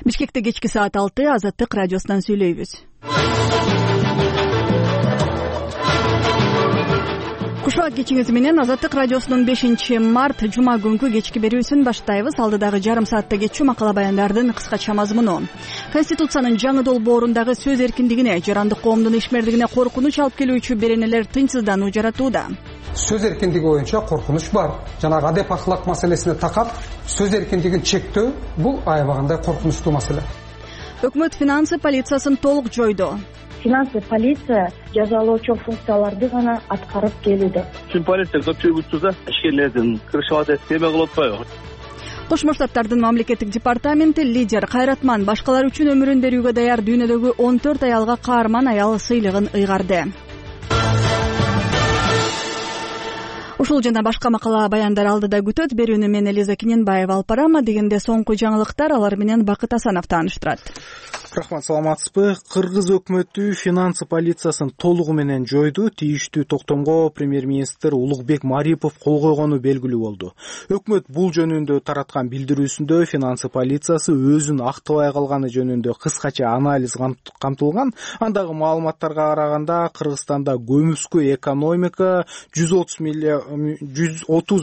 Бишкекте кечки саат 6 Азаттык радиосунан сүйлөйбүз. Кушак кечиңиз менен Азаттык радиосунун 5-март жума күнкү кечки берүүсүн баштайбыз. Алдыдагы жарым саатта кетчү макала баяндардын кыскача мазмуну. Конституциянын жаңы долбоорундагы сөз эркиндигине, жарандык коомдун ишмердигине коркунуч алып келүүчү беренелер тынчсыздануу жаратууда. Сөз эркиндиги боюнча коркунуч бар. Жанагы адеп ахлак маселесине такап сөз эркиндигин чектөө бул аябагандай коркунучтуу маселе. Өкмөт финансы полициясын толук жойду. Финансы полиция жазалоочу функцияларды гана аткарып келүүдө. Полиция көпчүлүк ишкерлердин кырышып теме кылып атпайбы? Кошмо Штаттардын мамлекеттик департаменти лидер Кайратман башкалар үчүн өмүрүн берүүгө даяр дүйнөдөгү 14 аялга каарман аял сыйлыгын ыйгарды. Ушул жана башка макала баяндар алдыда күтөт. Берүүнү мен Элиза Киненбаева алып барам. Дегенде соңку жаңылыктар, алар менен Бакыт Асанов тааныштырат. Рахмат, саламатсызбы? Кыргыз өкмөтү финансы полициясын толугу менен жойду. Тийиштүү токтомго премьер-министр Улукбек Марипов кол койгону белгилүү болду. Өкмөт бул жөнүндө тараткан билдирүүсүндө финансы полициясы өзүн актабай калганы жөнүндө кыскача анализ камтылган. Андагы маалыматтарга караганда Кыргызстанда көмүскө экономика 130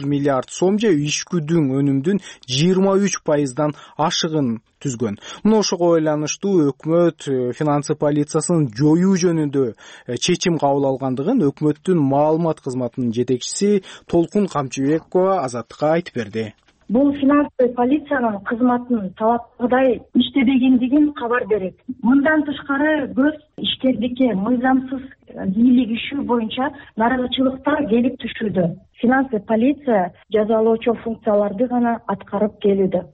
миллиард сом же ичкүдүн өнүмдүн 23% ашыгын түзгөн. Мына ошого байланыштуу өкмөт финансы полициясын жоюу жөнүндө чечим кабыл алгандыгын өкмөттүн маалымат кызматынын жетекчиси Толкун Камчыбекова Азаттыкка айтып берди. Бул финансы полициянын кызматынын талапкыдай иштебегендигин кабар берет. Мындан тышкары көз ишкердикке мыйзамсыз бийлик ишүү боюнча нааразычылыктар келип түшүүдө. Финансы полиция жазалоочу функцияларды гана аткарып келүүдө.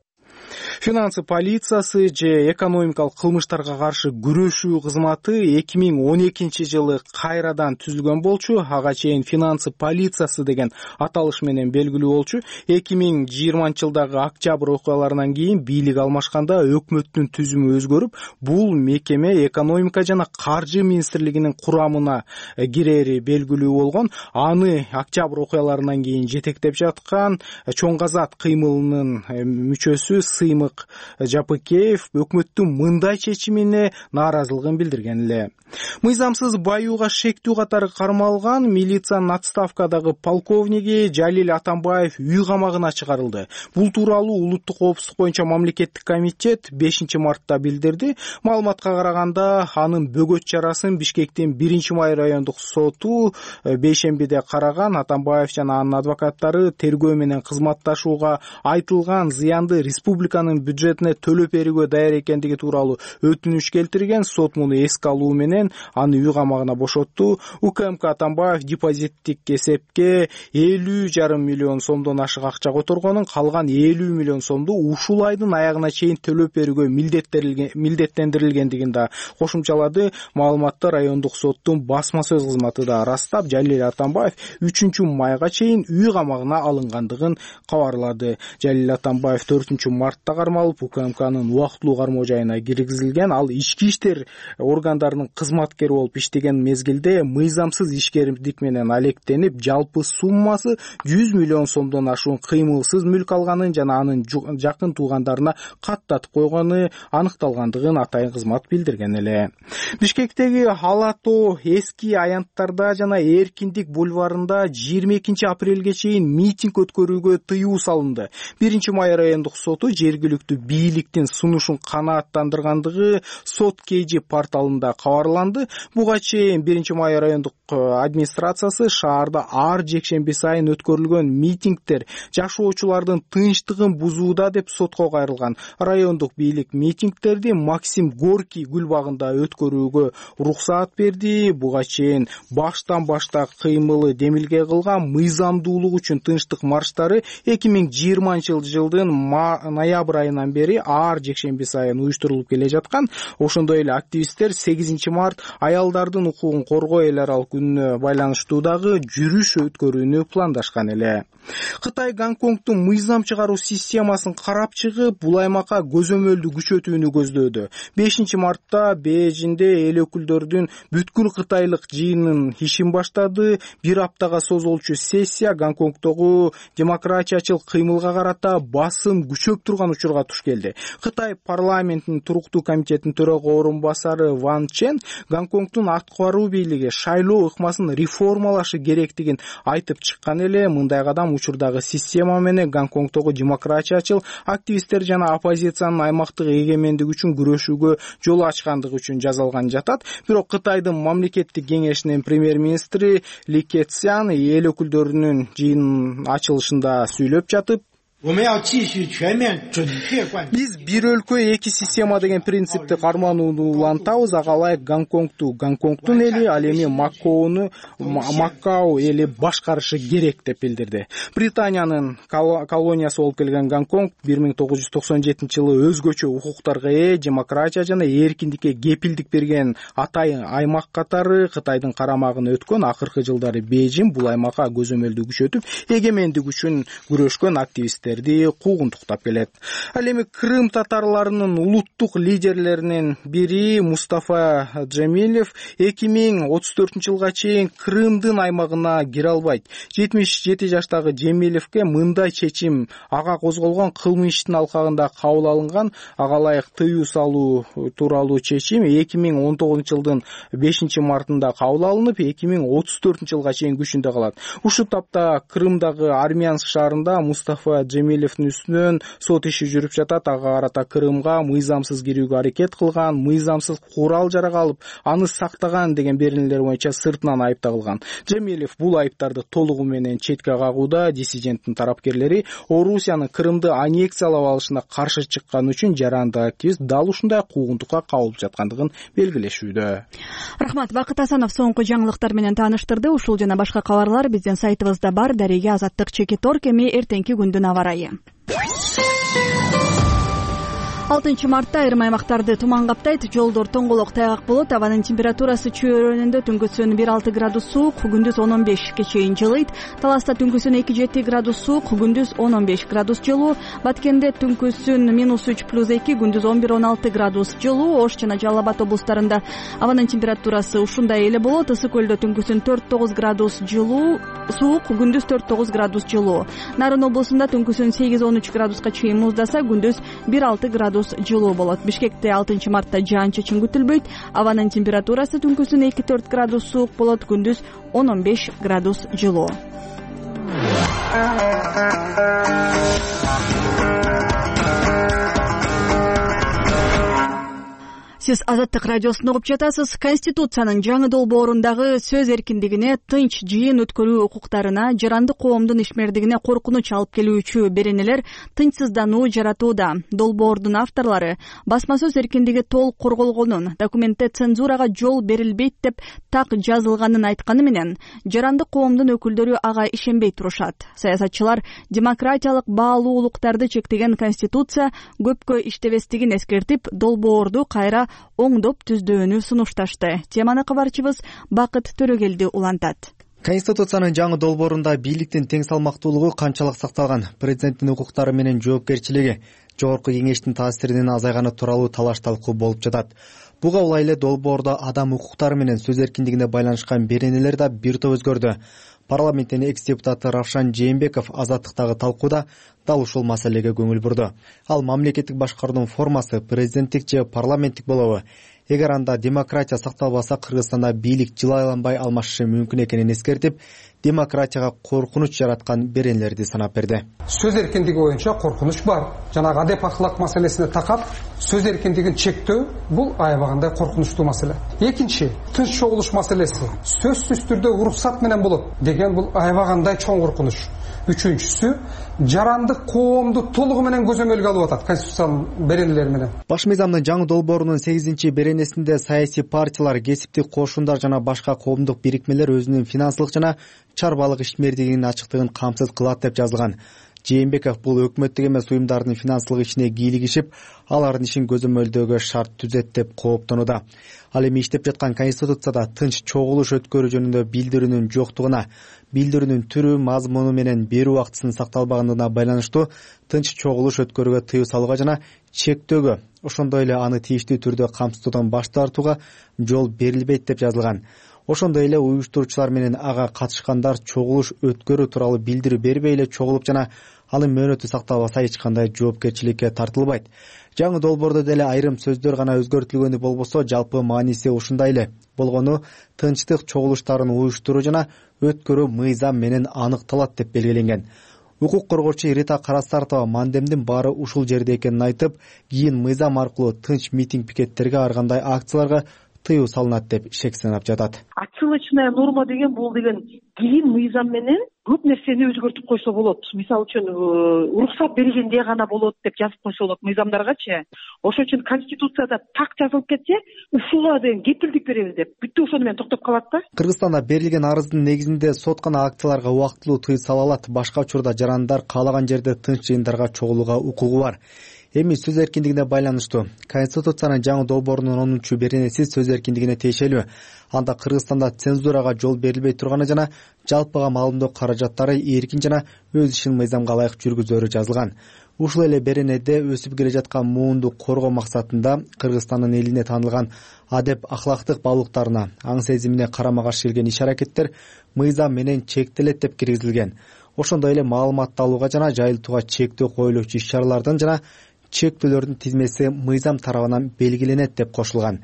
Финансы полициясы же экономикалык кылмыштарга каршы күрөшүү кызматы 2012 жылы кайрадан түзүлгөн болчу. Ага чейин финансы полициясы деген аталыш менен белгилүү болчу. 2020 жылдагы октябрь окуяларынан кийин бийлик алмашканда өкмөттүн түзүмү өзгөрүп, бул мекеме экономика жана каржы министрлигинин курамына кирери белгилүү болгон. Аны октябрь окуяларынан кийин жетектеп жаткан Чоң Казак кыймылынын мүчөсү Сыймык Жапыкеев өкмөттүн мындай чечимине нааразылыгын билдирген эле. Мыйзамсыз баюуга шектүү катары кармалган милициянын отставкадагы полковниги Жалил Атамбаев үй камагына чыгарылды. Бул тууралуу улуттук коопсуздук боюнча мамлекеттик комитет 5-мартта билдирди. Маалыматка караганда анын бөгөт чарасын Бишкектин 1-май райондук соту бейшембиде караган. Атамбаев жана анын адвокаттары тергөө менен кызматташууга айтылган зыянды республиканын бюджетине төлөп берүүгө даяр экендиги тууралуу өтүнүч келтирген. Сот муну эске алуу менен аны үй камагына бошотту. УКМК Атамбаев депозиттик эсепке 50,5 миллион сомдон ашык акча которгонун, калган 50 миллион сомду ушул айдын аягына чейин төлөп берүүгө милдеттендирилгендигин да кошумчалады. Маалыматты райондук соттун басма сөз кызматы да ырастап, Жалил Атамбаев 3-майга чейин үй камагына алынгандыгын кабарлады. Жалил Атамбаев 4-мартта кармалып, УКМКнын убактылуу кармоо жайына киргизилген. Ал ички иштер органдарынын кызматкери болуп иштеген мезгилде мыйзамсыз ишкердик менен алектенип, жалпы суммасы 100 миллион сомдон ашуун кыймылсыз мүлк алганын жана анын жакын туугандарына каттатып койгону аныкталгандыгын атайын кызмат билдирген эле. Бишкектеги Алато эски аянттарда жана Эркиндик бульварында 22 апрелге чейин митинг өткөрүүгө тыюу салынды. 1-май райондук соту жергиликтүү бийликтин сунушун канааттандыргандыгы сот KG порталында кабарланды. Буга чейин 1-май райондук администрациясы шаарда ар жекшемби сайын өткөрүлгөн митингдер жашоочулардын тынчтыгын бузууда деп сотко кайрылган. Райондук бийлик митингдерди Максим Горький гүл багында өткөрүүгө уруксаат берди. Буга чейин баштан башта кыймылы демилге кылган мыйзамдуулук үчүн тынчтык марштары 2020 жылдын ноябрь айынан бери ар жекшемби сайын уюштурулуп келе жаткан. Ошондой эле активисттер 8-март аялдардын укугун коргоо эл аралык күнүнө байланыштуу дагы жүрүш өткөрүүнү пландашкан эле. Кытай Гонконгдун мыйзам чыгаруу системасын карап чыгып, бул аймакка көзөмөлдү күчөтүүнү көздөөдү. 5-мартта Бейжиңде эл өкүлдөрүнүн бүткүл кытайлык жыйынын ишин баштады. Бир аптага созулчу сессия Гонконгдогу демократиячыл кыймылга карата басым күчөп турган учурга туш келди. Кытай парламентинин туруктуу комитетинин төрага орун басары Ван Чен Гонконгдун аткаруу бийлиги шайлоо ыкмасын реформалашы керектигин айтып чыккан эле. Мындай кадам учурдагы система менен Гонконгдогу демократиячыл активисттер жана оппозициянын аймактык эгемендик үчүн күрөшүүгө жол ачкандыгы үчүн жасалган жатат. Бирок Кытайдын мамлекеттик кеңешинин премьер-министри Ли Кэцян эл өкүлдөрүнүн жыйынынын ачылышында сүйлөп жатып, биз бир өлкө эки система деген принципти карманууну улантабыз. Ага ылайык Гонконгдун эли, ал эми Макао эли башкарышы керек деп билдирди. Британиянын колониясы болуп келген Гонконг 1997-жылы өзгөчө укуктарга ээ, демократия жана эркиндикке кепилдик берген атайын аймак катары Кытайдын карамагына өткөн. Акыркы жылдары Бейжиң бул аймакка көзөмөлдү күчөтүп, эгемендик үчүн күрөшкөн активисттер куугунтуктап келет. Ал эми Крым татарларынын улуттук лидерлеринин бири Мустафа Джемилев 2034-жылга чейин Крымдын аймагына кире албайт. 77 жаштагы Джемилевке мындай чечим ага козголгон кылмыш иштин алкагында кабыл алынган. Ага ылайык тыюу салуу тууралуу чечим 2019-жылдын 5-мартында кабыл алынып, 2034-жылга чейин күчүндө калат. Ушул тапта Крымдагы Армянск шаарында Мустафа Джемилевдин үстүнөн сот иши жүрүп жатат. Ага карата Крымга мыйзамсыз кирүүгө аракет кылган, мыйзамсыз курал жарак алып, аны сактаган деген беренелер боюнча сыртынан айып тагылган. Джемилев бул айыптарды толугу менен четке кагууда. Диссиденттин тарапкерлери Орусиянын Крымды аннексиялап алышына каршы чыккан үчүн жарандык активист дал ушундай куугунтукка кабылып жаткандыгын белгилешүүдө. Рахмат. Бакыт Асанов соңку жаңылыктар менен тааныштырды. Ушул жана башка кабарлар биздин сайтыбызда бар. Дареге Азаттык Чекиторг. Эми эртеңки күндүн аба ырайы. 6 мартта айрым аймактарды туман каптайт, жолдор тоңголок тайгак болот. Абанын температурасы чүй районунда түнкүсүн 1-6 градус суук, күндүз 10-15 чейин жылыйт. Таласта түнкүсүн 2-7 градус суук, күндүз 10-15 градус жылуу. Баткенде түнкүсүн -3+2, күндүз 11-16 градус жылуу. Ош жана Жалал Абад облустарында абанын температурасы ушундай эле болот. Ысык көлдө түнкүсүн 4-9 градус жылуу, суук, күндүз 4-9 градус жылуу. Нарын облусунда түнкүсүн 8-13 градуска чейин муздаса, күндүз 1-6 градус жылуу болот. Бишкекте 6 мартта жаан-чачын күтүлбөйт. Абанын температурасы түнкүсүн 2-4 градус суук болот, күндүз 10-15 градус жылуу. Сиз Азаттык радиосун угуп жатасыз. Конституциянын жаңы долбоорундагы сөз эркиндигине, тынч жыйын өткөрүү укуктарына, жарандык коомдун ишмердигине коркунуч алып келүүчү беренелер тынчсыздануу жаратууда. Долбоордун авторлору басма сөз эркиндиги толук корголгонун, документте цензурага жол берилбейт деп так жазылганын айтканы менен, жарандык коомдун өкүлдөрү ага ишенбей турушат. Саясатчылар демократиялык баалуулуктарды чектеген Конституция көпкө иштебестигин эскертип, долбоорду кайра оңдоп түздөөнү сунушташты. Теманы кабарчыбыз Бакыт Төрөгелди улантат. Конституциянын жаңы долбоорунда бийликтин тең салмактуулугу канчалык сакталган, президенттин укуктары менен жоопкерчилиги, жогорку кеңештин таасиринин азайганы тууралуу талаш-талкуу болуп жатат. Буга улай эле долбоордо адам укуктары менен сөз эркиндигине байланышкан беренелер да бир топ өзгөрдү. Парламенттин экс-депутаты Равшан Жээнбеков Азаттыктагы талкууда дал ушул маселеге көңүл бурду. Ал мамлекеттик башкаруунун формасы президенттик же парламенттик болобу? Эгер анда демократия сакталбаса, Кыргызстанда бийлик жыл айланбай алмашышы мүмкүн экенин эскертип, демократияга коркунуч жараткан беренелерди санап берди. Сөз эркиндиги боюнча коркунуч бар. Жанагы адеп ахлак маселесине такап, сөз эркиндигин чектөө бул аябагандай коркунучтуу маселе. Экинчи, тынч чогулуш маселеси. Сөзсүз түрдө уруксат менен болот деген бул аябагандай чоң коркунуч. Үчүнчүсү, жарандык коомду толугу менен көзөмөлгө алып атат конституциянын беренелери менен. Баш мыйзамдын жаңы долбоорунун 8-беренесинде саясий партиялар, кесиптик кошундар жана башка коомдук бирикмелер өзүнүн финансылык жана чарбалык ишмердигинин ачыктыгын камсыз кылат деп жазылган. Жээнбеков бул өкмөттүк эмес уюмдардын финансылык ишине кийлигишип, алардын ишин көзөмөлдөөгө шарт түзөт деп кооптонууда. Ал эми иштеп жаткан Конституцияда тынч чогулуш өткөрүү жөнүндө билдирүүнүн жоктугуна, билдирүүнүн түрү, мазмуну менен берүү убактысынын сакталбаганына байланыштуу тынч чогулуш өткөрүүгө тыюу салууга жана чектөөгө, ошондой эле аны тийиштүү түрдө камсыздоодан баш тартууга жол берилбейт деп жазылган. Ошондой эле уюштуруучулар менен ага катышкандар чогулуш өткөрүү тууралуу билдирүү бербей эле чогулуп жана анын мөөнөтү сакталбаса эч кандай жоопкерчиликке тартылбайт. Жаңы долбоордо деле айрым сөздөр гана өзгөртүлгөнү болбосо, жалпы мааниси ушундай эле. Болгону тынчтык чогулуштарын уюштуруу жана өткөрүү мыйзам менен аныкталат деп белгиленген. Укук коргоочу Рита Карасартова мандемдин баары ушул жерде экенин айтып, кийин мыйзам аркылуу тынч митинг пикеттерге ар кандай акцияларга тыюу салынат деп шек санап жатат. Отсылочная норма деген бул деген кийин мыйзам менен көп нерсени өзгөртүп койсо болот. Мисалы үчүн уруксат бергенде гана болот деп жазып койсо болот мыйзамдаргачы. Ошон үчүн Конституцияда так жазылып кетсе, ушуга деген кепилдик беребиз деп бүттү, ошону менен токтоп калат да. Кыргызстанда берилген арыздын негизинде сот гана акцияларга убактылуу тыюу сала алат. Башка учурда жарандар каалаган жерде тынч жыйындарга чогулууга укугу бар. Эми сөз эркиндигине байланыштуу. Конституциянын жаңы долбоорунун 10-беренеси сөз эркиндигине тиешелүү. Анда Кыргызстанда цензурага жол берилбей турганы жана жалпыга маалымдоо каражаттары эркин жана өз ишин мыйзамга ылайык жүргүзөрү жазылган. Ушул эле беренеде өсүп келе жаткан муунду коргоо максатында Кыргызстандын элине таанылган адеп ахлактык баалуулуктарына, аң сезимине карама каршы келген иш-аракеттер мыйзам менен чектелет деп киргизилген. Ошондой эле маалыматты алууга жана жайылтууга чектөө коюлуучу иш-чаралардын жана чектөөлөрдүн тизмеси мыйзам тарабынан белгиленет деп кошулган.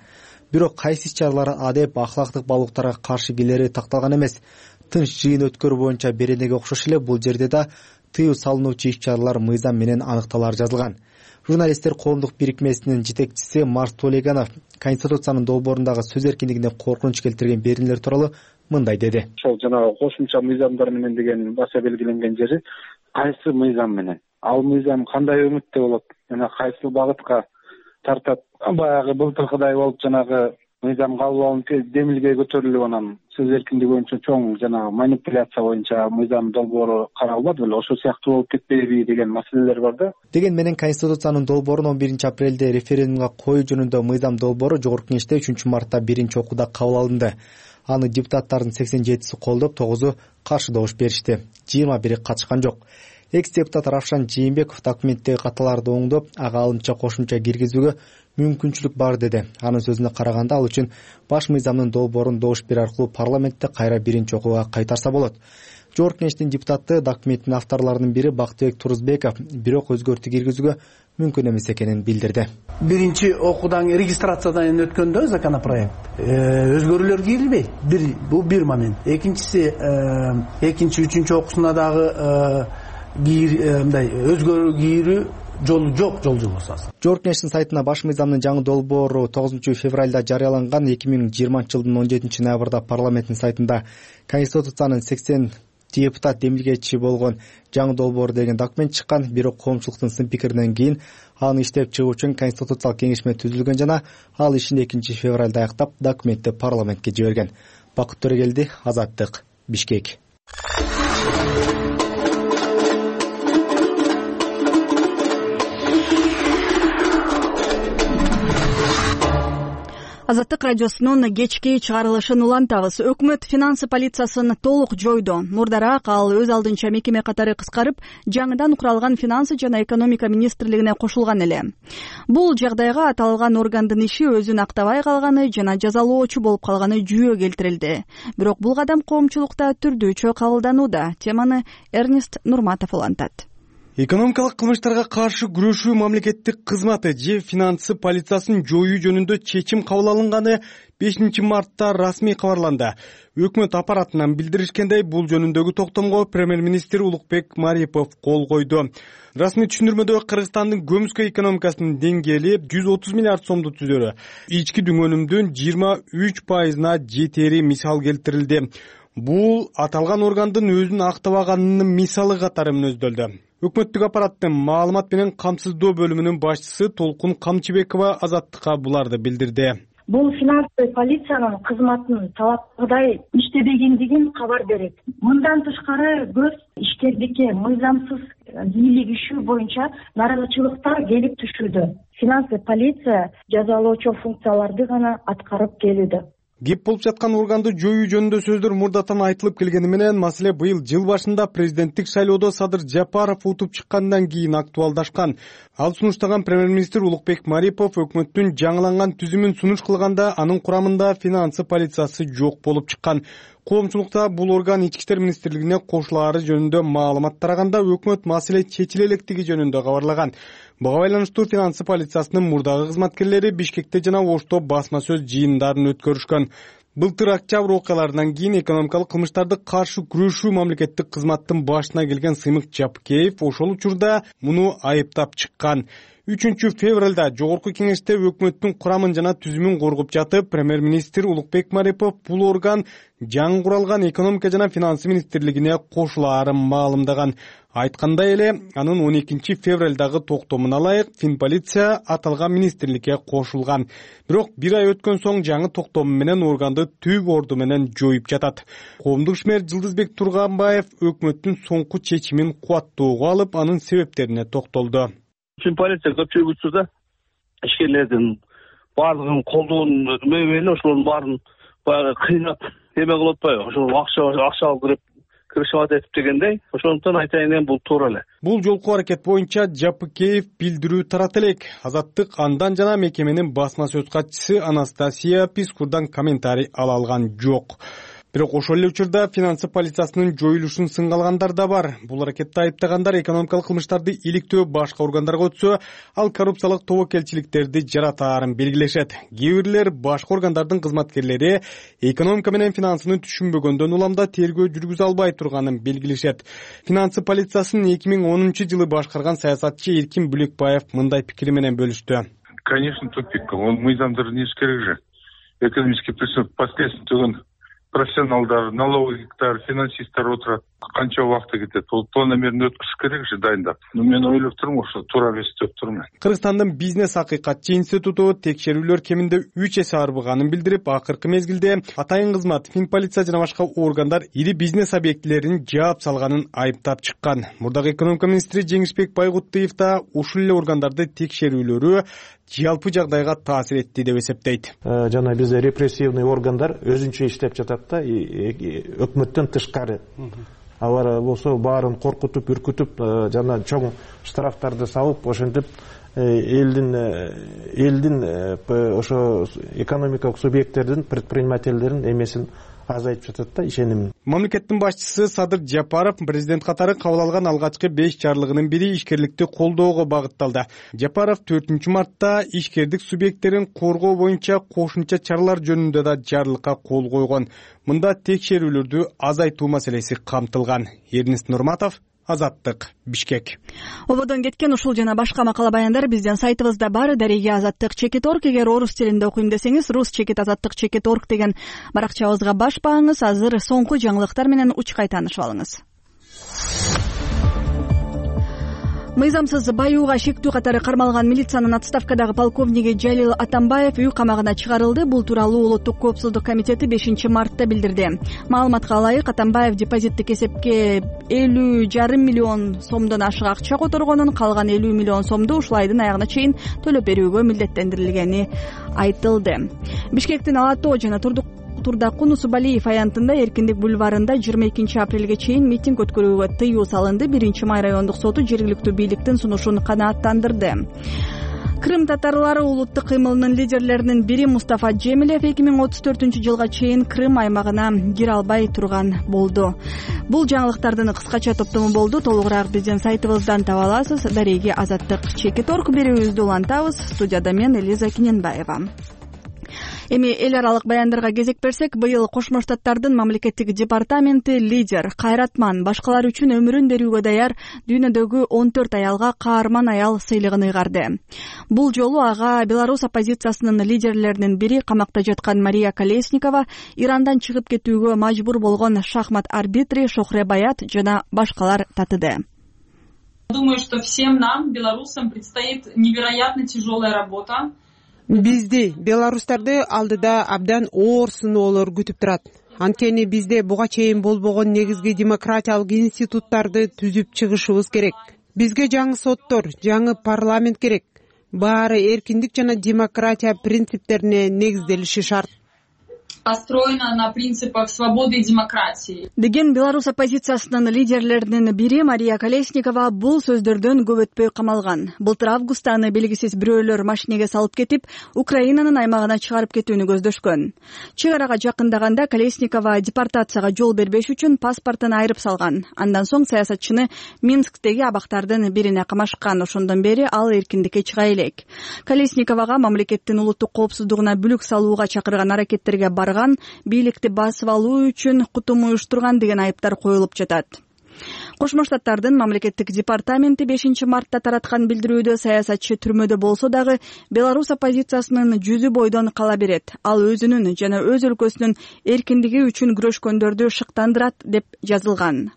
Бирок кайсы иш-чаралар адеп ахлактык баалуулуктарга каршы келери такталган эмес. Тынч жыйын өткөрүү боюнча беренеге окшош эле бул жерде да тыюу салынуучу иш-чаралар мыйзам менен аныкталары жазылган. Журналисттер коомдук бирикмесинин жетекчиси Марс Толеганов Конституциянын долбоорундагы сөз эркиндигине коркунуч келтирген беренелер тууралуу мындай деди. Ошол жанагы кошумча мыйзамдар менен деген баса белгиленген жери кайсы мыйзам менен, ал мыйзам кандай өңүттө болот, жана кайсы багытка тартат. Баягы былтыркыдай болуп жанагы мыйзам кабыл алынып демилге көтөрүлүп, анан сөз эркиндиги боюнча чоң жанагы манипуляция боюнча мыйзам долбоору каралбады беле, ошол сыяктуу болуп кетпейби деген маселелер бар да. Деген менен Конституциянын долбоорун 11-апрелде референдумга коюу жөнүндө мыйзам долбоору Жогорку Кеңеште 3-мартта биринчи окууда кабыл алынды. Аны депутаттардын 87-си колдоп, 9-у каршы добуш беришти. 21-и катышкан жок. Экс-депутат Равшан Жээнбеков документтеги каталарды оңдоп, ага алымча кошумча киргизүүгө мүмкүнчүлүк бар деди. Анын сөзүнө караганда, ал үчүн баш мыйзамдын долбоорун добуш берүү аркылуу парламентте кайра биринчи окууга кайтарса болот. Жогорку Кеңештин депутаты документтин авторлорунун бири Бактыбек Турузбеков бирок өзгөртүү киргизүүгө мүмкүн эмес экенин билдирди. Биринчи окуудан регистрациядан өткөндө законопроект өзгөрүүлөр кирилбейт. Бул бир момент. Экинчиси, экинчи, үчүнчү окуусуна дагы мындай өзгөрүү кирүү жолу жок, жол жобосу. Жогорку Кеңештин сайтына баш мыйзамдын жаңы долбоору 9-февралда жарыяланган. 2020-жылдын 17-ноябрда парламенттин сайтында Конституциянын 80 депутат демилгечи болгон жаңы долбоор деген документ чыккан. Бирок коомчулуктун сын пикиринен кийин аны иштеп чыгуу үчүн конституциялык кеңешме түзүлгөн жана ал ишин 2-февралда аяктап документти парламентке жиберген. Бакыт Төрөгелди, Азаттык, Бишкек. Азаттык радиосунун кечки чыгарылышын улантабыз. Өкмөт финансы полициясын толук жойду. Мурдараак ал өз алдынча мекеме катары кыскарып, жаңыдан куралган финансы жана экономика министрлигине кошулган эле. Бул жагдайга аталган органдын иши өзүн актабай калганы жана жазалоочу болуп калганы жүйө келтирилди. Бирок бул кадам коомчулукта түрдүүчө кабылданууда. Теманы Эрнест Нурматов улантат. Экономикалык кылмыштарга каршы күрөшүү мамлекеттик кызматы же финансы полициясын жоюу жөнүндө чечим кабыл алынганы 5-мартта расмий кабарланды. Өкмөт аппаратынан билдиришкендей, бул жөнүндөгү токтомго премьер-министр Улукбек Марипов кол койду. Расмий түшүндүрмөдө Кыргызстандын көмүскө экономикасынын деңгээли 130 миллиард сомду түзөрү. Ички дүңөнүмдүн 23%-на жетери мисал келтирилди. Бул аталган органдын өзүн актабаганынын мисалы катары мүнөздөлдү. Өкмөттүк аппараттын маалымат менен камсыздоо бөлүмүнүн башчысы Толкун Камчыбекова Азаттыкка буларды билдирди. Бул финансы полициянын кызматынын талапкыдай иштебегендигин кабар берет. Мындан тышкары көз ишкердикке мыйзамсыз бийлик ишүү боюнча нааразычылыктар келип түшүүдө. Финансы полиция жазалоочу функцияларды гана аткарып келүүдө. Кеп болуп жаткан органды жоюу жөнүндө сөздөр мурдатан айтылып келгени менен маселе быйыл жыл башында президенттик шайлоодо Садыр Жапаров утуп чыккандан кийин актуалдашкан. Ал сунуштаган премьер-министр Улукбек Марипов өкмөттүн жаңыланган түзүмүн сунуш кылганда анын курамында финансы полициясы жок болуп чыккан. Коомчулукта бул орган Ички иштер министрлигине кошулаары жөнүндө маалымат тараганда өкмөт маселе чечиле электиги жөнүндө кабарлаган. Буга байланыштуу финансы полициясынын мурдагы кызматкерлери Бишкекте жана Ошто басма сөз жыйындарын өткөрүшкөн. Былтыр октябрь окуяларынан кийин экономикалык кылмыштарды каршы күрөшүү мамлекеттик кызматтын башына келген Сыймык Жапкеев ошол учурда муну айыптап чыккан. 3 февралда жогорку кеңеште өкмөттүн курамын жана түзүмүн коргоп жатып, премьер-министр Улукбек Марипов бул орган жаңы куралган экономика жана финансы министрлигине кошулаарын маалымдаган. Айткандай эле, анын 12 февралдагы токтомуна ылайык Финполиция аталган министрликке кошулган. Бирок бир ай өткөн соң жаңы токтом менен органды түп орду менен жоюп жатат. Коомдук ишмер Жылдызбек Турганбаев өкмөттүн соңку чечимин кубаттоого алып, анын себептерине токтолду. Финполиция көпчүлүк учурда ишкерлердин баардыгын колдоон мөбеле ошолордун баарын баягы кыйнап эме кылып атпайбы? Ошол акча алып кирип киришип атат дегендей. Ошондуктан айтайын эми бул туура эле. Бул жолку аракет боюнча Жапыкеев билдирүү тарата элек. Азаттык андан жана мекеменин басма сөз катчысы Анастасия Пискурдан комментарий ала алган жок. Бирок ошол эле учурда финансы полициясынын жоюлушун сынга алгандар да бар. Бул аракетте айыптагандар экономикалык кылмыштарды иликтөө башка органдарга өтсө, ал коррупциялык тобокелчиликтерди жаратаарын белгилешет. Кээ бирлер башка органдардын кызматкерлери экономика менен финансыны түшүнбөгөндөн уламда тергөө жүргүзө албай турганын белгилешет. Финансы полициясын 2010 жылы башкарган саясатчы Эркин Бүлекбаев мындай пикири менен бөлүштү. Конечно, тупик. Он мыйзамдарды не керек же. Экономический преступление последствия профессионалдар, налоговиктер, финансисттер отурат. Канча убакыт кетет. Ол планомерно өткөрүш керек же дайындап. Мен ойлоп турмун, ошо туура эмес деп турмун. Кыргызстандын бизнес акыйкатчы институту текшерүүлөр кеминде 3 эсе арбыганын билдирип, акыркы мезгилде атайын кызмат, Финполиция жана башка органдар ири бизнес объектилерин жаап салганын айыптап чыккан. Мурдагы экономика министри Жеңишбек Байгуттуев да ушул эле органдарды текшерүүлөрү жалпы жагдайга таасир этти деп эсептейт. Жана бизде репрессивный органдар өзүнчө иштеп жатат да, өкмөттөн тышкары. Алар болсо баарын коркутуп, үркүтүп, жана чоң штрафтарды салып, ошентип элдин ошо экономикалык субъекттердин, предпринимательдердин эмесин азайтып жатат да, ишенимин. Мамлекеттин башчысы Садыр Жапаров президент катары кабыл алган алгачкы 5 жарлыгынын бири ишкерликти колдоого багытталды. Жапаров 4 мартта ишкердик субъекттерин коргоо боюнча кошумча чаралар жөнүндө да жарлыкка кол койгон. Мында текшерүүлөрдү азайтуу маселеси камтылган. Эрнест Нурматов, Азаттык, Бишкек. Ободон кеткен ушул жана башка макала баяндар биздин сайтыбызда бар. Дареге Азаттык.org. Эгер орус тилинде окуйм десеңиз, rus-azattyk.org деген баракчабызга баш бааңыз. Азыр соңку жаңылыктар менен учкай таанышып алыңыз. Мыйзамсыз баюуга шектүү катары кармалган милициянын отставкадагы полковниги Жалил Атамбаев үй камагына чыгарылды. Бул тууралуу Улуттук коопсуздук комитети 5 мартта билдирди. Маалыматка ылайык, Атамбаев депозиттик эсепке 50,5 миллион сомдон ашык акча которгонун, калган 50 миллион сомду ушул айдын аягына чейин төлөп берүүгө милдеттендирилгени айтылды. Бишкектин Ала Тоо жана Турдакун Усубалиев аянтында Эркиндик бульварында 22 апрелге чейин митинг өткөрүүгө тыюу салынды. 1 май райондук соту жергиликтүү бийликтин сунушун канааттандырды. Крым татарлары улуттук кыймылынын лидерлеринин бири Мустафа Джемилев 2034 жылга чейин Крым аймагына кире албай турган болду. Бул жаңылыктардын кыскача топтому болду. Толугураак биздин сайтыбыздан таба аласыз. Дареги Азаттык.org. Берүүбүздү улантабыз. Студияда мен Элиза Киненбаева. Эми эл аралык баяндарга кезек берсек, быйыл Кошмо Штаттардын мамлекеттик департаменти лидер Кайратман башкалар үчүн өмүрүн берүүгө даяр дүйнөдөгү 14 аялга каарман аял сыйлыгын ыйгарды. Бул жолу ага Беларусь оппозициясынын лидерлеринин бири камакта жаткан Мария Колесникова, Ирандан чыгып кетүүгө мажбур болгон шахмат арбитри Шохре Баят жана башкалар татыды. Думаю, что всем нам, белорусам, предстоит невероятно тяжелая работа. Бизди, белорустарды алдыда абдан оор сыноолор күтүп турат. Анткени бизде буга чейин болбогон негизги демократиялык институттарды түзүп чыгышыбыз керек. Бизге жаңы соттор, жаңы парламент керек. Баары эркиндик жана демократия принциптерине негизделиши шарт. построена на принципах свободы и демократии. Деген Беларусь оппозициясынын лидерлеринин бири Мария Колесникова бул сөздөрдөн көп өтпөй камалган. Былтыр августта аны белгисиз бирөөлөр машинеге салып кетип, Украинанын аймагына чыгарып кетүүнү көздөшкөн. Чек арага жакындаганда Колесникова депортацияга жол бербеш үчүн паспортун айырып салган. Андан соң саясатчыны Минсктеги абактардын бирине камашкан. Ошондон бери ал эркиндикке чыга элек. Колесниковага мамлекеттин улуттук коопсуздугуна бүлүк салууга чакырган аракеттерге барган, бийликти басып алуу үчүн кутум уюштурган деген айыптар коюлуп жатат. Кошмо Штаттардын мамлекеттик департаменти 5 мартта тараткан билдирүүдө саясатчы түрмөдө болсо дагы Беларусь оппозициясынын жүзү бойдон кала берет. Ал өзүнүн жана өз өлкөсүнүн эркиндиги үчүн күрөшкөндөрдү шыктандырат деп жазылган.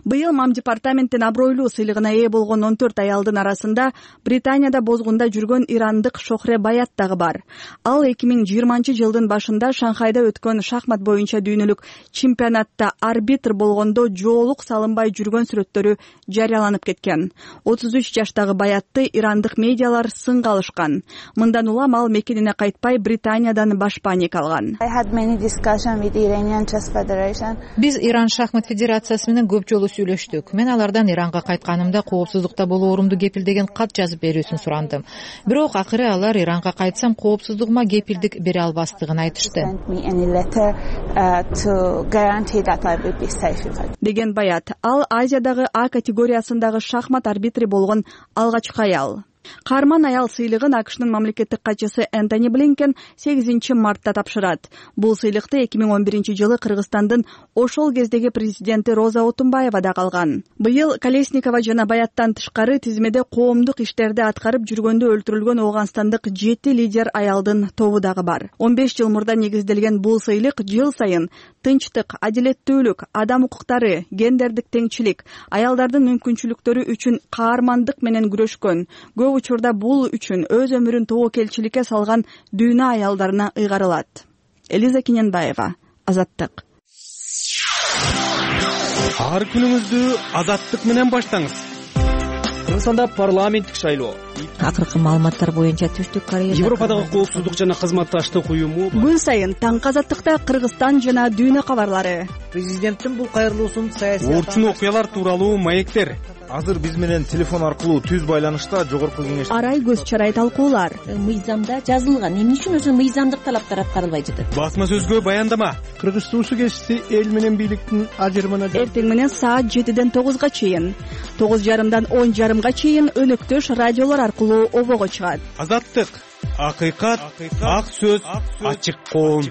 Быйыл Мам департаменттин абройлуу сыйлыгына ээ болгон 14 аялдын арасында Британияда бозгунда жүргөн ирандык Шохре Баят дагы бар. Ал 2020-жылдын башында Шанхайда өткөн шахмат боюнча дүйнөлүк чемпионатта арбитр болгондо жоолук салынбай жүргөн сүрөттөрү жарыяланып кеткен. 33 жаштагы Баятты ирандык медиалар сынга алышкан. Мындан улам ал мекенине кайтпай Британиядан башпаник алган. Биз Иран шахмат федерациясы менен көп жолу сүйлөштүк. Мен алардан Иранга кайтканымда коопсуздукта болоорумду кепилдеген кат жазып берүүсүн сурандым. Бирок акыры алар Иранга кайтсам коопсуздугума кепилдик бере албастыгын айтышты. Деген Баят, ал Азиядагы А категориясындагы шахмат арбитри болгон алгачкы аял. Каарман аял сыйлыгын АКШнын мамлекеттик катчысы Энтони Блинкен 8 мартта тапшырат. Бул сыйлыкты 2011-жылы Кыргызстандын ошол кездеги президенти Роза Отунбаева да алган. Быйыл Колесникова жана Баяттан тышкары тизмеде коомдук иштерди аткарып жүргөндө өлтүрүлгөн Ооганстандык 7 лидер аялдын тобу дагы бар. 15 жыл мурда негизделген бул сыйлык жыл сайын тынчтык, адилеттүүлүк, адам укуктары, гендердик теңчилик, аялдардын мүмкүнчүлүктөрү үчүн каармандык менен күрөшкөн, көп учурда бул үчүн өз өмүрүн тобокелчиликке салган дүйнө аялдарына ыйгарылат. Элиза Киненбаева, Азаттык. Ар күнүңүздү Азаттык менен баштаңыз. Кыргызстанда парламенттик шайлоо. Акыркы маалыматтар боюнча Түштүк Корея Европадагы коопсуздук жана кызматташтык уюму күн сайын таңкы Азаттыкта Кыргызстан жана дүйнө кабарлары. Президенттин бул кайрылуусун саясий орчун окуялар тууралуу маектер. Азыр биз менен телефон аркылуу түз байланышта жогорку кеңеш арай көз чарай талкуулар. Мыйзамда жазылган, эмне үчүн өзү мыйзамдык талаптар аткарылбай жатат? Басма сөзгө баяндама. Кыргыз туусу кесиси эл менен бийликтин ажырымына эртең менен саат 7-ден 9-га чейин, 9:30-дан 10:30-га чейин өнөктөш радиолор аркылуу обого чыгат. Азаттык, акыйкат, ак сөз, ачык коом.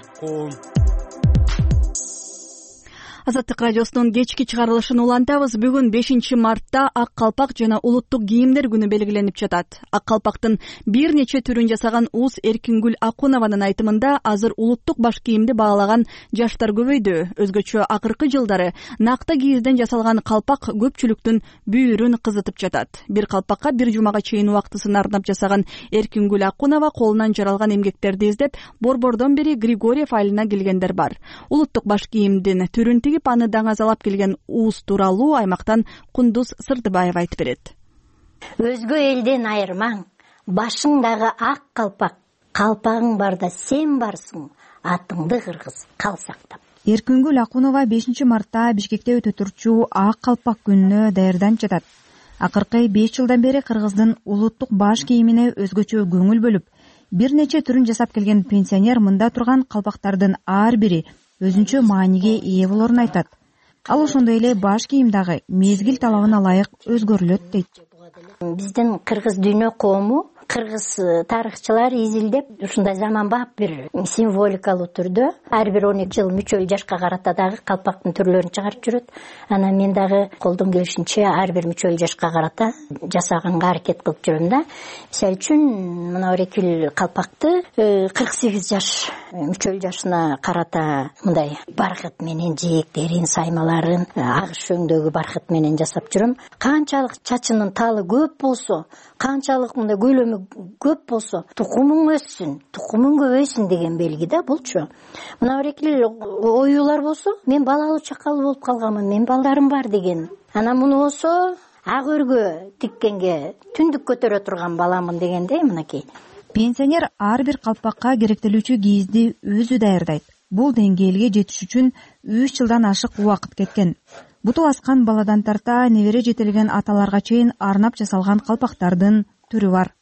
Азаттык радиосунун кечки чыгарылышын улантабыз. Бүгүн 5 мартта ак калпак жана улуттук кийимдер күнү белгиленип жатат. Ак калпактын бир нече түрүн жасаган Уус Эркингүл Акунованын айтымында азыр улуттук баш кийимди баалаган жаштар көбөйдү. Өзгөчө акыркы жылдары накта кийизден жасалган калпак көпчүлүктүн бүйүрүн кызытып жатат. Бир калпакка бир жумага чейин убактысын арнап жасаган Эркингүл Акунова колунан жаралган эмгектерди издеп, борбордон бери Григорьев айылына келгендер бар. Улуттук баш кийимдин түрүн тигип аны даңазалап келген Уус тууралуу аймактан Кундуз Сырдыбаева айтып берет. Өзгө элден айырмаң, башыңдагы ак калпак, калпагың барда сен барсың, атыңды кыргыз кал сактап. Эркингүл Акунова 5 мартта Бишкекте өтө турчу ак калпак күнүнө даярданып жатат. Акыркы 5 жылдан бери Кыргыздын улуттук баш кийимине өзгөчө көңүл бөлүп, бир нече түрүн жасап келген пенсионер мында турган калпактардын ар бири өзүнчө мааниге ээ болорун айтат. Ал ошондой эле баш кийим дагы мезгил талабына ылайык өзгөрүлөт дейт. Биздин кыргыз дүйнө коому, кыргыз тарыхчылар изилдеп ушундай заманбап бир символикалуу түрдө ар бир 12 жыл мүчөл жашка карата дагы калпактын түрлөрүн чыгарып жүрөт. Анан мен дагы колдон келишинче ар бир мүчөл жашка карата жасаганга аракет кылып жүрөм да. Мисалы үчүн мына Эркингүл калпакты 48 жаш мүчөл жашына карата мындай баркыт менен жээктерин, саймаларын агыш өңдөгү баркыт менен жасап жүрөм. Канчалык чачынын талы көп болсо, канчалык мындай көлөмү көп болсо, тукумуң өссүн, тукумуң көбөйсүн деген белги да булчу. Мына Эркингүл оюлар болсо, мен балалуу чакалуу болуп калганмын, мен балдарым бар деген. Анан муну болсо, ак өргө тиккенге түндүк көтөрө турган баламын дегендей мынакей. Пенсионер ар бир калпакка керектелүүчү кийизди өзү даярдайт. бул деңгээлге жетиш үчүн 3 жылдан ашык убакыт кеткен. Буту аскан баладан тарта небере жетелеген аталарга чейин арнап жасалган калпактардын түрү бар.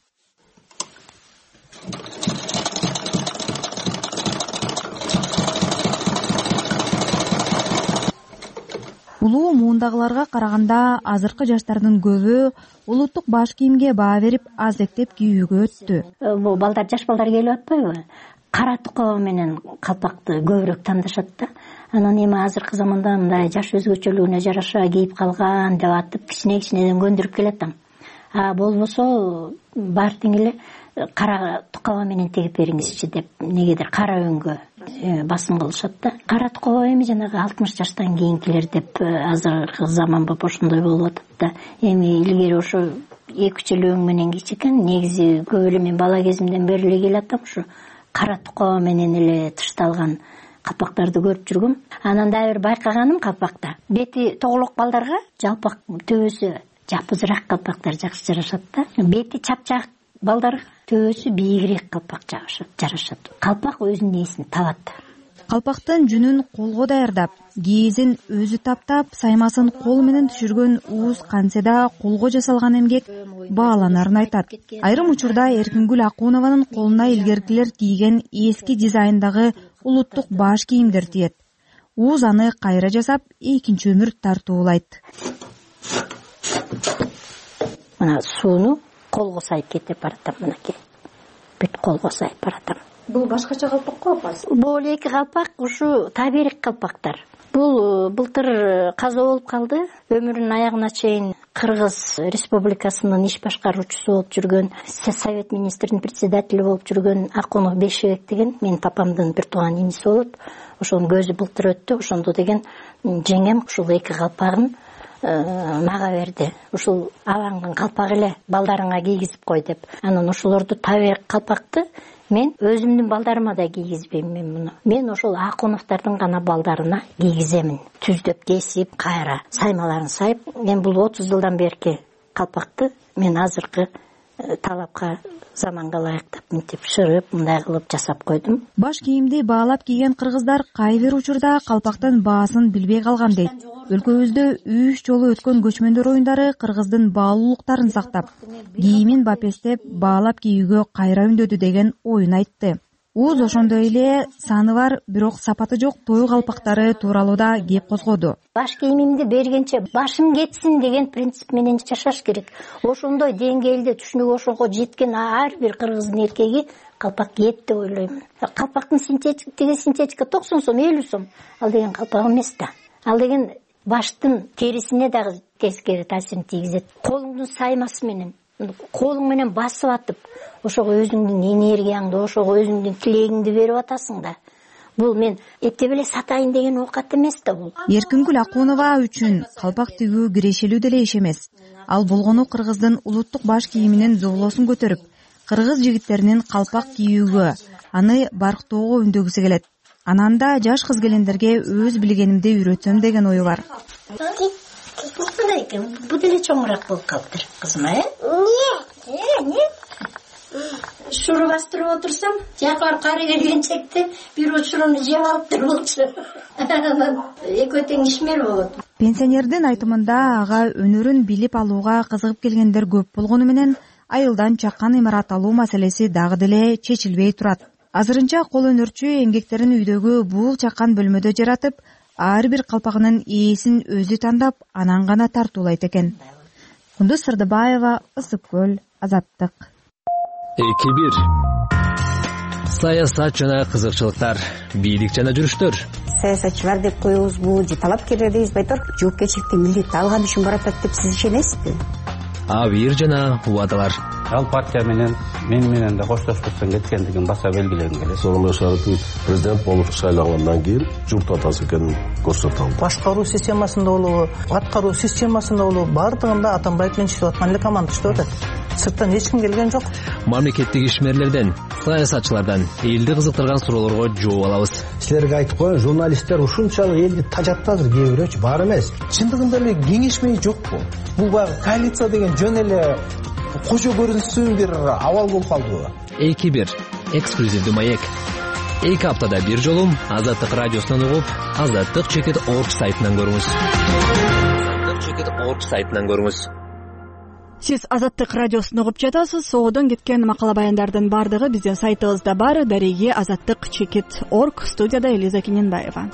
Улуу муундагыларга караганда азыркы жаштардын көбү улуттук баш кийимге баа берип аздектеп кийүүгө өттү. Бул балдар, жаш балдар келип атпайбы? Кара тукоо менен калпакты көбүрөөк тандашат да. Анан эми азыркы заманда мындай жаш өзгөчөлүгүнө жараша кийип калган деп атып кичинеден көндүрүп келатам. Болбосо бар тең эле кара тукоо менен тегип бериңизчи деп негедир кара өңгө басым кылышат да. Кара тукоо эми жанагы 60 жаштан кийинкилер деп азыркы заман болуп ошондой болуп атат да. Эми илгери ошо 2 жыл өң менен кийчү экен. Негизи көп эле мен бала кезимден бери эле келатам ушу кара тукоо менен эле тышталган калпактарды көрүп жүргөм. Анан дагы бир байкаганым калпакта бети тоголок балдарга жалпак төбөсү жапызыраак калпактар жакшы жарашат да. Бети чапчак балдарга төбөсү бийигирээк калпак жарашат. Калпак өзүнүн ээсин табат. Калпактын жүнүн колго даярдап, кийизин өзү таптап, саймасын кол менен түшүргөн Ууз Канседа колго жасалган эмгек бааланарын айтат. Айрым учурда Эркингүл Акунованын колуна илгеркилер кийген эски дизайндагы улуттук баш кийимдер тиет. Ууз аны кайра жасап, экинчи өмүр тартуулайт. Мына сууну колго сайып кетип баратам, мынакей. Бүт колго сайып баратам. Бул башкача калпак го апасы? Бул эки калпак ушу таберик калпактар. Бул былтыр каза болуп калды. Өмүрүнүн аягына чейин Кыргыз Республикасынын иш башкаруучусу болуп жүргөн, Совет министринин председатели болуп жүргөн Акунов Бешебек деген менин папамдын бир тууган иниси болот. Ошонун көзү былтыр өттү. Ошондо деген жеңем ушул эки калпагын мага берди. Ушул абаңдын калпагы эле балдарыңа кийгизип кой деп. Анан ошолорду таберик калпакты мен өзүмдүн балдарыма да кийгизбейм мен муну. Мен ошол Акуновдордун гана балдарына кийгиземин. Түздөп кесип, кайра саймаларын сайып, мен бул 30 жылдан берки калпакты мен азыркы талапка заманга ылайыктап мынтип шырып, мындай кылып жасап койдум. Баш кийимди баалап кийген кыргыздар кай бир учурда калпактын баасын билбей калган дейт. Өлкөбүздө 3 жолу өткөн көчмөндөр оюндары кыргыздын баалуулуктарын сактап, кийимин бапестеп, баалап кийүүгө кайра үндөдү деген оюн айтты. Ууз ошондой эле саны бар, бирок сапаты жок той калпактары тууралуу да кеп козгоду. Баш кийимимди бергенче башым кетсин деген принцип менен жашаш керек. Ошондой деңгээлде түшүнүк ошого жеткен ар бир кыргыздын эркеги калпак кийет деп ойлоймун. Калпактын синтетика 90 сом, 50 сом. Ал деген калпак эмес да. Ал деген баштын терисине дагы тескери таасирин тийгизет. Колуңдун саймасы менен, колуң менен басып атып, ошого өзүңдүн энергияңды, ошого өзүңдүн тилегиңди берип атасың да. Бул мен эптеп эле сатайын деген оокат эмес да бул. Эркингүл Акунова үчүн калпак тигүү кирешелүү деле иш эмес. Ал болгону кыргыздын улуттук баш кийиминин зоолосун көтөрүп, кыргыз жигиттеринин калпак кийүүгө, аны барктоого үндөгүсү келет. Анан да жаш кыз келиндерге өз билгенимди үйрөтсөм деген ою бар. Бу деле чоңураак болуп калыптыр, кызым, эмне? Шуру бастырып отурсам, жакар кары келгенчекте бир учуруну жеп алыптыр болчу. Экөө тең ишмер болот. Пенсионердин айтымында ага өнөрүн билип алууга кызыгып келгендер көп болгону менен айылдан чаккан имарат алуу маселеси дагы деле чечилбей турат. Азырынча кол өнөрчү эмгектерин үйдөгү бул чаккан бөлмөдө жаратып, ар бир калпагынын ээсин өзү тандап, анан гана тартуулайт экен. Кундуз Сырдыбаева, Ысык көл, Азаттык. 2-1. Саясат жана кызыкчылыктар, бийлик жана жүрүштөр. Саясатчылар деп коебузбу, же талапкерлер дейбизби, айтор жоопкерчиликти милдетти алган үчүн баратат деп сиз ишенесизби? Абийир жана убадалар. Ал партия менен да коштошпостон кеткендигин баса белгилегим келет. Сооронбай Шарипович президент болуп шайлангандан кийин журт атасы экенин көрсөтө алды. Башкаруу системасында болобу, аткаруу системасында болобу, бардыгында Атамбаев менен иштеп аткан эле команда иштеп атат. Сырттан эч ким келген жок. Мамлекеттик ишмерлерден, саясатчылардан элди кызыктырган суроолорго жооп алабыз. Силерге айтып коеюн, журналисттер ушунчалык элди тажатты азыр кээ бирөөчү, бар эмес. Чындыгында эле кеңешмей жокпу? Бул баягы коалиция деген жөн эле кожо көрүнүшсүн бир абал болуп калдыбы? 2-1. Эксклюзивдүү маек. 2 аптада бир жолу Азаттык радиосунан угуп, azattik.org сайтынан көрүңүз. azattik.org сайтынан көрүңүз. Сиз Азаттык радиосун угуп жатасыз. Соодон кеткен макала баяндардын бардыгы биздин сайтыбызда бар. Дареги azattik.org. Студияда Элиза Кененбаева.